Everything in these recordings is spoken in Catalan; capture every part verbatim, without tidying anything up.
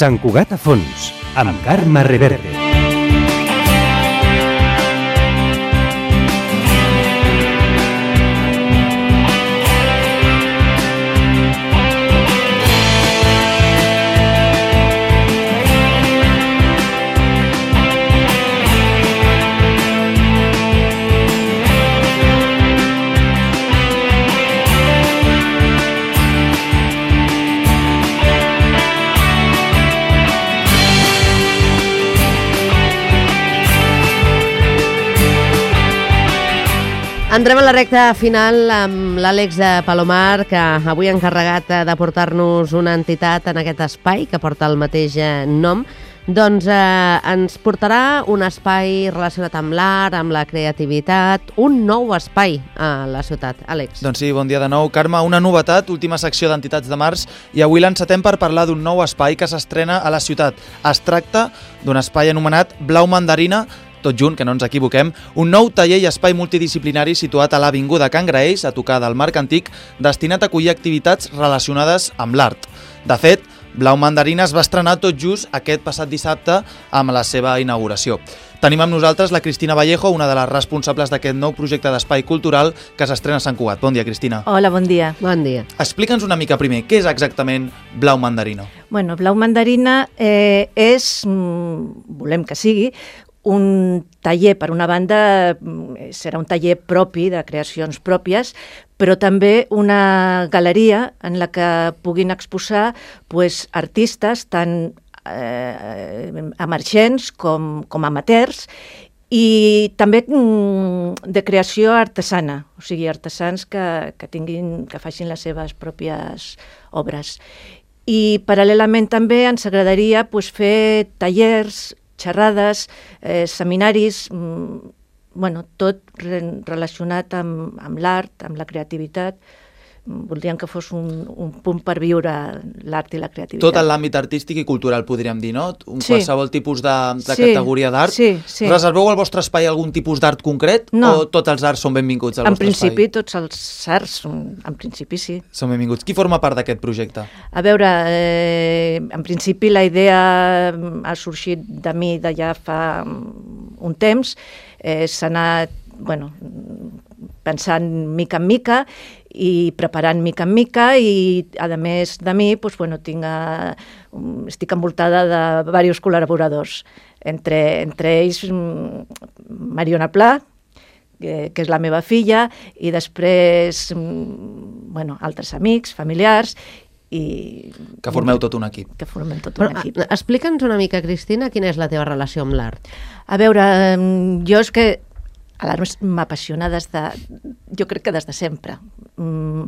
Sant Cugat a fons, amb Carme Reverte. Entrem a la recta final amb l'Àlex de Palomar, que avui ha encarregat de portar-nos una entitat en aquest espai que porta el mateix nom. Doncs eh, ens portarà un espai relacionat amb l'art, amb la creativitat, un nou espai a la ciutat. Àlex. Doncs sí, bon dia de nou. Carme, una novetat, última secció d'entitats de març, i avui l'encetem per parlar d'un nou espai que s'estrena a la ciutat. Es tracta d'un espai anomenat Blau Mandarina, tot junt, que no ens equivoquem, un nou taller i espai multidisciplinari situat a l'avinguda Can Graells, a tocar del Marc Antic, destinat a acollir activitats relacionades amb l'art. De fet, Blau Mandarina es va estrenar tot just aquest passat dissabte amb la seva inauguració. Tenim amb nosaltres la Cristina Vallejo, una de les responsables d'aquest nou projecte d'espai cultural que s'estrena a Sant Cugat. Bon dia, Cristina. Hola, bon dia. Bon dia. Explica'ns una mica primer, què és exactament Blau Mandarina? Bueno, Blau Mandarina eh, és, mm, volem que sigui, un taller, per una banda, serà un taller propi, de creacions pròpies, però també una galeria en la que puguin exposar pues, artistes tant eh, emergents com, com amateurs i també mm, de creació artesana, o sigui, artesans que, que, tinguin, que facin les seves pròpies obres. I paral·lelament també ens agradaria pues, fer tallers, xerrades, eh, seminaris, mm, bueno, tot re relacionat amb, amb l'art, amb la creativitat. Voldríem que fos un, un punt per viure l'art i la creativitat. Tot en l'àmbit artístic i cultural, podríem dir, no? Un sí. Qualsevol tipus de, de sí. categoria d'art. Sí, sí. Reserveu al vostre espai algun tipus d'art concret? No. O tots els arts són benvinguts al en vostre principi, espai? tots els arts, en principi sí. Són benvinguts. Qui forma part d'aquest projecte? A veure, eh, en principi la idea ha sorgit de mi de ja fa un temps, eh, s'ha anat, bueno, pensant mica en mica i preparant mica en mica i, a més de mi, doncs, bueno, tinc a, estic envoltada de diversos col·laboradors, entre, entre ells Mariona Pla, que, que és la meva filla, i després bueno, altres amics, familiars, i que formeu tot un equip. Que formem tot Però, un equip. Explica'ns una mica, Cristina, quina és la teva relació amb l'art. A veure, jo és que l'art m'apassiona des de, jo crec que des de sempre. Mm,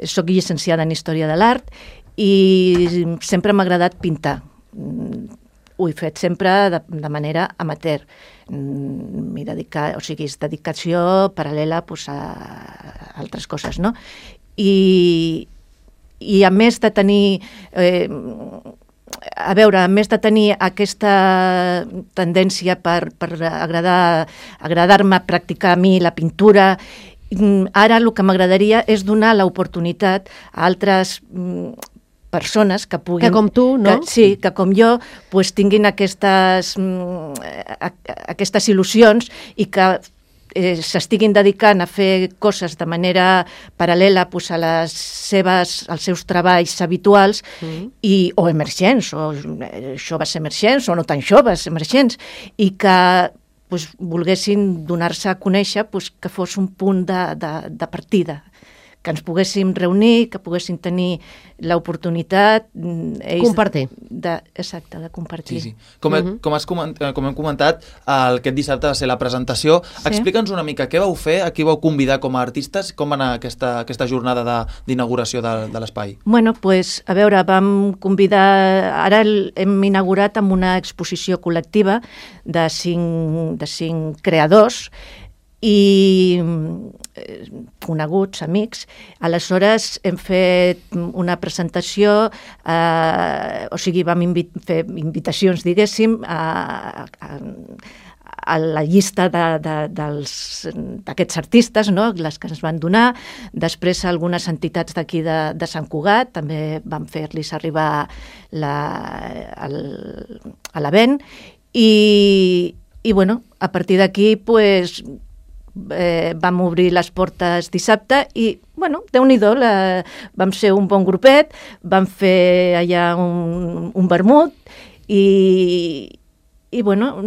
soc llicenciada en Història de l'Art i sempre m'ha agradat pintar. Mm, ho he fet sempre de, de manera amateur. Mm, m'he dedicat, o sigui, és dedicació paral·lela pues, a altres coses, no? I, i a més de tenir... Eh, a veure, a més de tenir aquesta tendència per, per agradar, agradar-me practicar a mi la pintura, ara el que m'agradaria és donar l'oportunitat a altres persones que puguin... Que com tu, no? Que, sí, que com jo pues, tinguin aquestes, aquestes il·lusions i que eh, s'estiguin dedicant a fer coses de manera paral·lela pues, a les seves, als seus treballs habituals mm. i, o emergents, o eh, joves emergents, o no tan joves emergents, i que pues, volguessin donar-se a conèixer pues, que fos un punt de, de, de partida, que ens poguéssim reunir, que poguessin tenir l'oportunitat... Compartir. De, exacte, de compartir. Sí, sí. Com, uh-huh. com, has coment, com hem comentat, el, aquest dissabte va ser la presentació. Sí. Explica'ns una mica què vau fer, a qui vau convidar com a artistes, com va anar aquesta, aquesta jornada d'inauguració de, de l'espai? Bueno, pues, a veure, vam convidar... Ara hem inaugurat amb una exposició col·lectiva de cinc, de cinc creadors i coneguts, amics. Aleshores hem fet una presentació, eh, o sigui, vam invi- fer invitacions, diguéssim, a, a, a la llista d'aquests artistes, no? Les que ens van donar. Després algunes entitats d'aquí de, de Sant Cugat també van fer-los arribar la, el, a l'Avent i, i bueno, a partir d'aquí pues, eh, vam obrir les portes dissabte i bueno, Déu-n'hi-do, la, vam ser un bon grupet, vam fer allà un, un vermut i, i bueno,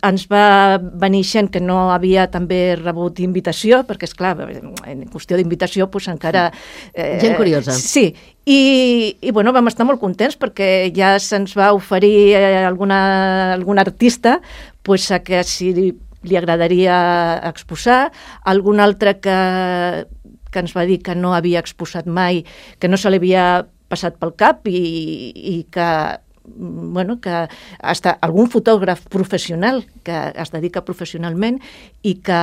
ens va venir gent que no havia també rebut invitació, perquè és clar, en qüestió d'invitació pues, encara... Eh, gent curiosa. Sí, i, i bueno, vam estar molt contents perquè ja se'ns va oferir alguna, algun artista pues, a que si li agradaria exposar, algun altre que, que ens va dir que no havia exposat mai, que no se li havia passat pel cap i, i que bueno, que hasta algun fotògraf professional que es dedica professionalment i que,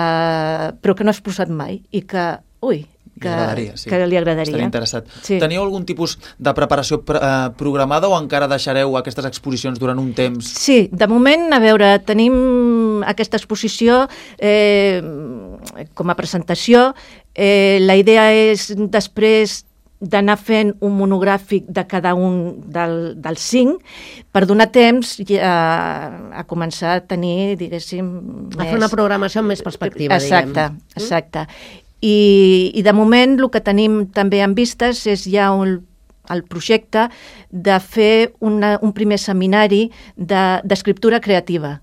però que no ha exposat mai i que, ui, que li agradaria, sí. que li agradaria. Estaria interessat. Sí. Teniu algun tipus de preparació eh, programada o encara deixareu aquestes exposicions durant un temps? Sí, de moment, a veure, tenim aquesta exposició eh, com a presentació. Eh, la idea és després d'anar fent un monogràfic de cada un del, dels cinc per donar temps a, a començar a tenir, diguéssim... A fer una programació amb més perspectiva, exacte, diguem. Exacte. I, I de moment el que tenim també en vistes és ja un, el projecte de fer una, un primer seminari d'escriptura de, creativa.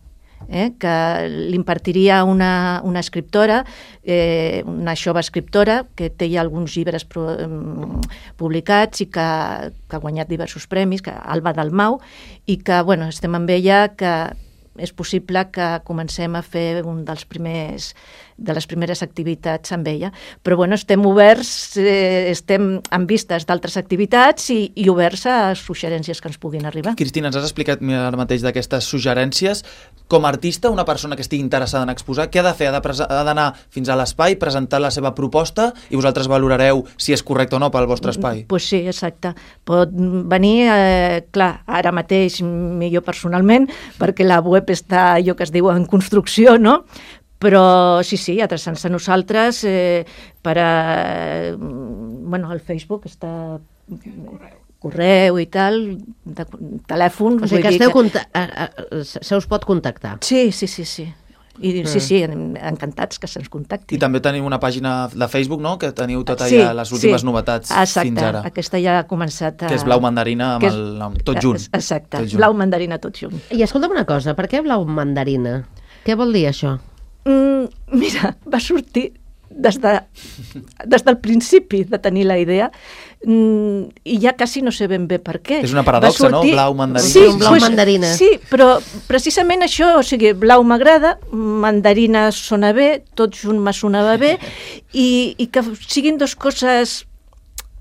Eh, que l'impartiria una, una escriptora, eh, una jove escriptora que té ja alguns llibres pro, um, publicats i que, que ha guanyat diversos premis, que Alba Dalmau, i que bueno, estem amb ella, que és possible que comencem a fer un dels primers de les primeres activitats amb ella. Però bueno, estem oberts, eh, estem en vistes d'altres activitats i, i oberts a suggerències que ens puguin arribar. Cristina, ens has explicat ara mateix d'aquestes suggerències. Com a artista, una persona que estigui interessada en exposar, què ha de fer? Ha d'anar fins a l'espai, presentar la seva proposta i vosaltres valorareu si és correcte o no pel vostre espai? Doncs pues sí, exacte. Pot venir, eh, clar, ara mateix millor personalment, perquè la web està allò que es diu en construcció, no? Però sí, sí, adreçant-se a nosaltres eh, per a... Bueno, el Facebook està... correu i tal, de, telèfon... O sigui que, esteu que... se us pot contactar. Sí, sí, sí, sí. I mm. sí, sí, encantats que se'ns contacti. I també teniu una pàgina de Facebook, no?, que teniu tot allà, sí, les últimes sí. novetats exacte. Fins ara. Aquesta ja ha començat a... Que és Blau Mandarina amb és... el nom, tot junt. Exacte, tot junt. Blau Mandarina tot junt. I escolta'm una cosa, per què Blau Mandarina? Què vol dir això? Mm, mira, va sortir des, de, des del principi de tenir la idea mm, i ja quasi no sé ben bé per què. És una paradoxa, sortir... no? Blau mandarina. Sí, un blau pues, mandarina. Sí, però precisament això, o sigui, blau m'agrada, mandarina sona bé, tot junt me sonava bé, i, i que siguin dues coses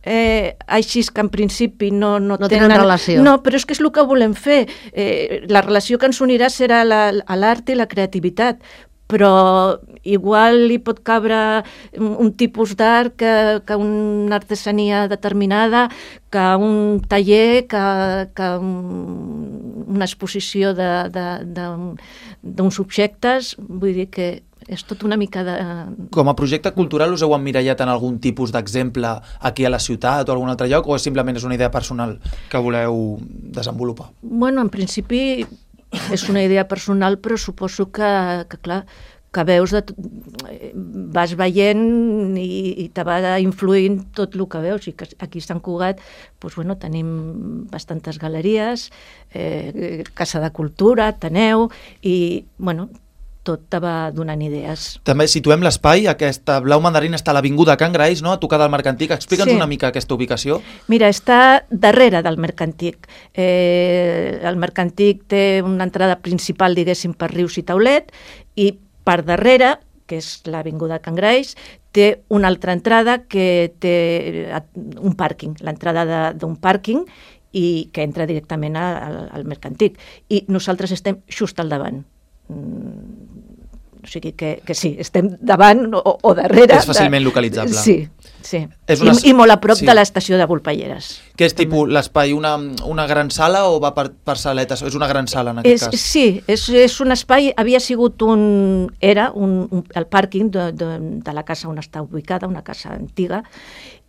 eh, així que en principi no, no, no tenen, tenen relació. No, però és que és el que volem fer. Eh, la relació que ens unirà serà la, l'art i la creativitat, però igual hi pot cabre un tipus d'art que, que una artesania determinada, que un taller, que, que un, una exposició d'uns objectes, vull dir que és tot una mica de... Com a projecte cultural us heu emmirallat en algun tipus d'exemple aquí a la ciutat o a algun altre lloc, o simplement és una idea personal que voleu desenvolupar? Bueno, en principi és una idea personal, però suposo que, que clar, que veus, de, vas veient i, i te va influint tot el que veus. I que aquí a Sant Cugat doncs, bueno, tenim bastantes galeries, eh, Casa de Cultura, Ateneu, i bueno, tot te va donant idees. També situem l'espai, aquesta Blau Mandarina està a l'Avinguda Can Graells, no?, a tocar del Mercantic. Explica'ns sí. una mica aquesta ubicació. Mira, està darrere del Mercantic. Eh, el Mercantic té una entrada principal, diguéssim, per Rius i Taulet, i per darrere, que és l'Avinguda Can Graells, té una altra entrada que té un pàrquing, l'entrada d'un pàrquing, i que entra directament al, al Mercantic. I nosaltres estem just al davant. O sigui que, que sí, estem davant o, o darrere... És fàcilment de... localitzable. Sí, sí. És una... I, I molt a prop sí. de l'estació de Volpelleres. Que és tipus l'espai, una, una gran sala o va per, per saletes? És una gran sala en aquest és, cas? Sí, és, és un espai, havia sigut un... Era un, un, el pàrquing de, de, de la casa on està ubicada, una casa antiga,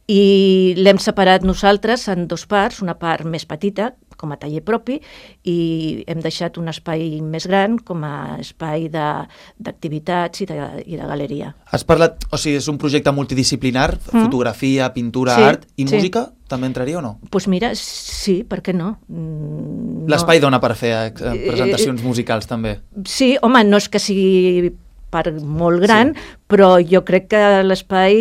i l'hem separat nosaltres en dos parts, una part més petita, com a taller propi, i hem deixat un espai més gran com a espai d'activitats i, de, i de galeria. Has parlat, o sigui, és un projecte multidisciplinar, mm. fotografia, pintura, sí, art i sí. música, també entraria o no? Doncs pues mira, sí, per què no? no. L'espai dona per fer eh, presentacions musicals també? Sí, home, no és que sigui per molt gran, sí. però jo crec que l'espai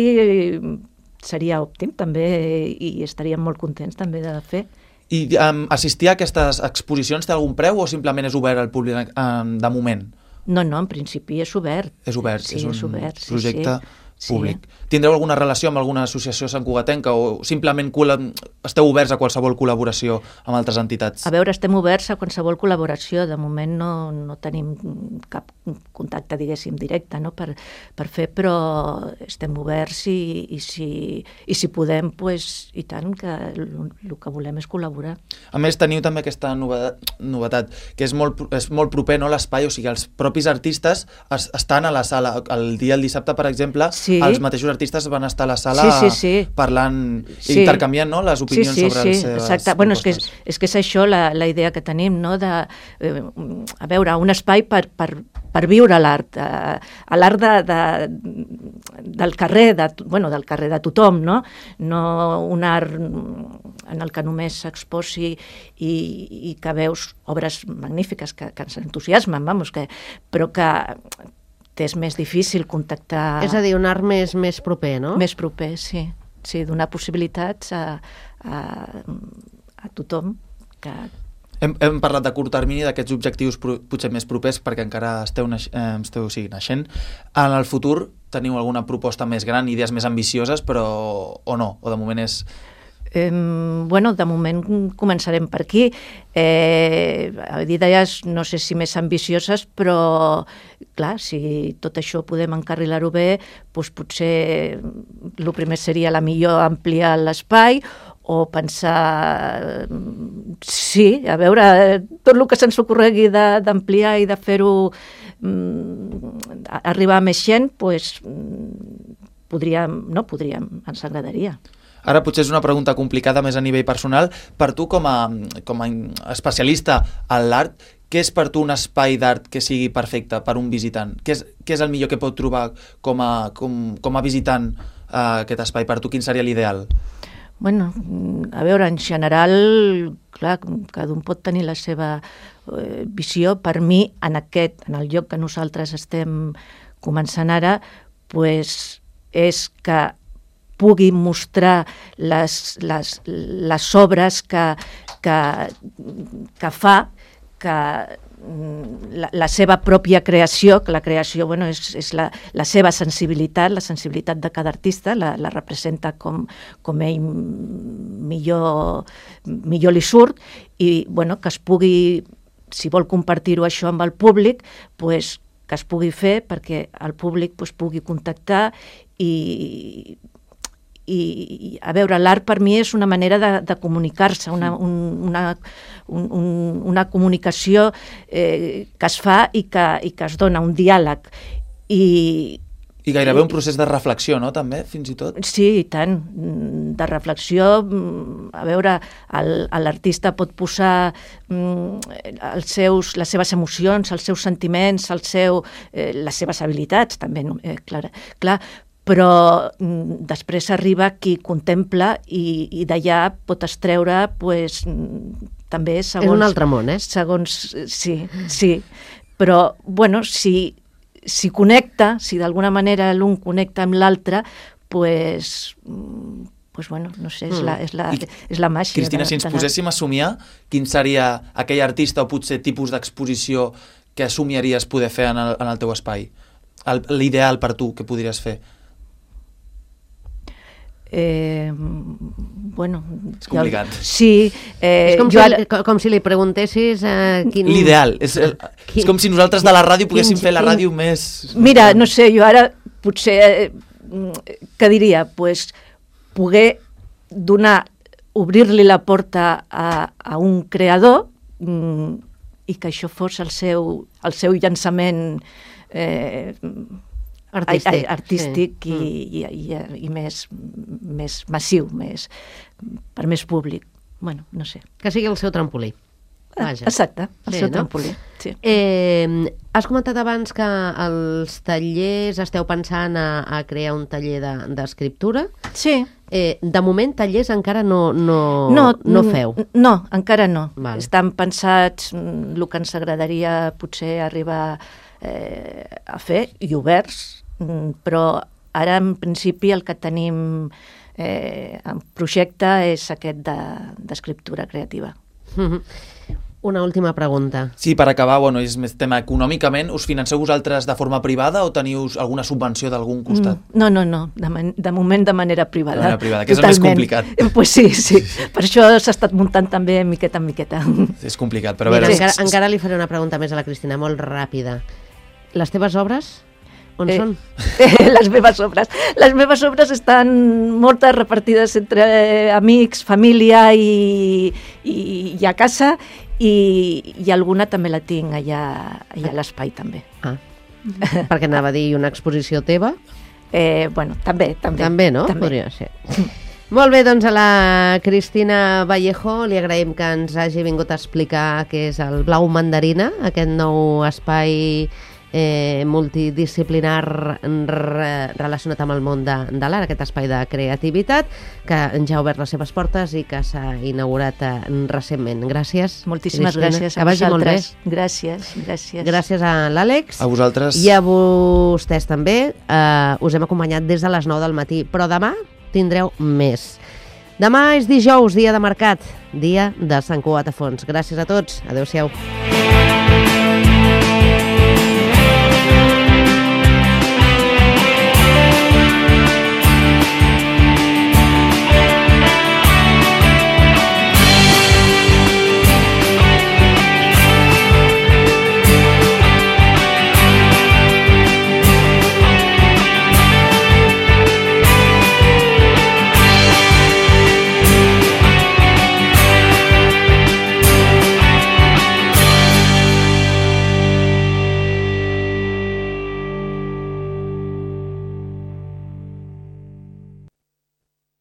seria òptim també i estaríem molt contents també de fer. I um, assistir a aquestes exposicions té algun preu o simplement és obert al públic um, de moment? No, no, en principi és obert. És obert, sí, és un és obert, sí, projecte sí. públic. Sí. Tindreu alguna relació amb alguna associació santcugatenca o simplement esteu oberts a qualsevol col·laboració amb altres entitats? A veure, estem oberts a qualsevol col·laboració. De moment no, no tenim cap contacte, diguéssim, directe no? per, per fer, però estem oberts i, i, si, i si podem, pues, i tant, que el que volem és col·laborar. A més, teniu també aquesta novetat, novetat que és molt, és molt proper no, a l'espai, o sigui, els propis artistes es, estan a la sala. El dia, el dissabte, per exemple, sí. els mateixos artistes van estar a la sala sí, sí, sí. parlant, sí. intercanviant no, les opinions sí, sí, sobre sí, les seves exacte. Bueno, és que és, és que és això la, la idea que tenim, no? de, eh, a veure, un espai per, per, per viure l'art, eh, l'art de, de, del carrer, de, bueno, del carrer de tothom, no? No un art en el que només s'exposi i, i que veus obres magnífiques que, que ens entusiasmen, vamos, que, però que és més difícil contactar... És a dir, un art més, més proper, no? Més proper, sí. Sí, donar possibilitats a, a, a tothom. Que... Hem, hem parlat de curt termini, d'aquests objectius pro, potser més propers, perquè encara esteu, naix, eh, esteu o sigui, naixent. En el futur teniu alguna proposta més gran, idees més ambicioses, però o no? O de moment és... Eh, bueno, de moment començarem per aquí. Eh, idees, no sé si més ambicioses, però clar, si tot això podem encarrilar-ho bé, doncs potser el primer seria la millor ampliar l'espai o pensar, sí, a veure, tot el que se'ns ocorregui d'ampliar i de fer-ho mm, arribar a més gent, doncs podríem, no podríem, ens agradaria. Ara potser és una pregunta complicada més a nivell personal. Per tu, com a, com a especialista en l'art, què és per tu un espai d'art que sigui perfecte per un visitant? Què és, què és el millor que pot trobar com a, com, com a visitant uh, aquest espai? Per tu, quin seria l'ideal? Bueno, a veure, en general, clar, cada un pot tenir la seva eh, visió. Per mi, en aquest, en el lloc que nosaltres estem començant ara, pues, és que pugui mostrar les, les, les obres que, que, que fa, que la, la seva pròpia creació, que la creació bueno, és, és la, la seva sensibilitat, la sensibilitat de cada artista, la, la representa com, com ell millor, millor li surt, i bueno, que es pugui, si vol compartir-ho això amb el públic, pues, que es pugui fer perquè el públic pues, pugui contactar i... I, a veure, l'art per mi és una manera de, de comunicar-se, una, un, una, un, una comunicació eh, que es fa i que, i que es dona, un diàleg. I, I gairebé un procés de reflexió, no?, també, fins i tot? Sí, i tant, de reflexió. A veure, l'artista pot posar els seus, les seves emocions, els seus sentiments, el seu, eh, les seves habilitats, també, no? eh, clar, clar, però mm, després arriba qui contempla i, i d'allà pot extreure pues, també segons... És un altre món, eh? Segons, sí, sí. Però, bueno, si, si connecta, si d'alguna manera l'un connecta amb l'altre, pues, pues, bueno, no sé, és la, és la, és la màgia. Cristina, de, si ens poséssim a somiar, quin seria aquell artista o potser tipus d'exposició que somiaries poder fer en el, en el teu espai? L'ideal per tu que podries fer? Eh, bueno... És complicat. Jo, sí. Eh, és com, jo si, ara... com si li preguntessis... Eh, quin... L'ideal. És, Quin... és com si nosaltres de la ràdio poguéssim quin... fer la quin... ràdio més... Mira, no sé, jo ara potser... Eh, què diria? Pues, poder donar, obrir-li la porta a, a un creador mm, i que això fos el seu, el seu llançament eh, artístic, artístic sí. i, i, i, i més, més massiu, més, per més públic. Bueno, no sé. Que sigui el seu trampolí. Vaja. Exacte, el Sí, seu no? trampolí. Sí. Eh, has comentat abans que als tallers esteu pensant a, a crear un taller d'escriptura. De, Sí. eh, de moment, tallers encara no, no, no, no feu. No, encara no. Val. Estan pensats el que ens agradaria potser arribar eh, a fer, i oberts, però ara en principi el que tenim eh, en projecte és aquest d'escriptura de, creativa. Una última pregunta. Sí, per acabar, bueno, és més tema econòmicament. Us financeu vosaltres de forma privada o teniu alguna subvenció d'algun costat? No, no, no, de, man de moment de manera privada. De manera privada, que és el més complicat. Pues sí, sí, per això s'ha estat muntant també miqueta en miqueta. És complicat, però a Mira, veure... encara, és- encara li faré una pregunta més a la Cristina, molt ràpida. Les teves obres, on Eh, són? Eh, les meves obres. Les meves obres estan moltes repartides entre eh, amics, família i, i, i a casa, i, i alguna també la tinc allà, allà a l'espai també. Ah, perquè anava a dir una exposició teva. Eh, bueno, també, també. També, no? També. Podria ser. Molt bé, doncs a la Cristina Vallejo li agraïm que ens hagi vingut a explicar què és el Blau Mandarina, aquest nou espai eh, multidisciplinar re, relacionat amb el món de, de l'art, aquest espai de creativitat que ja ha obert les seves portes i que s'ha inaugurat eh, recentment. Gràcies, Moltíssimes Cristina. gràcies a que vagi molt bé. vosaltres. Gràcies, gràcies. Gràcies a l'Àlex. A vosaltres... I a vostès també. Eh, us hem acompanyat des de les nou del matí, però demà tindreu més. Demà és dijous, dia de mercat, dia de Sant Cugat a Fons. Gràcies a tots. Adéu-siau.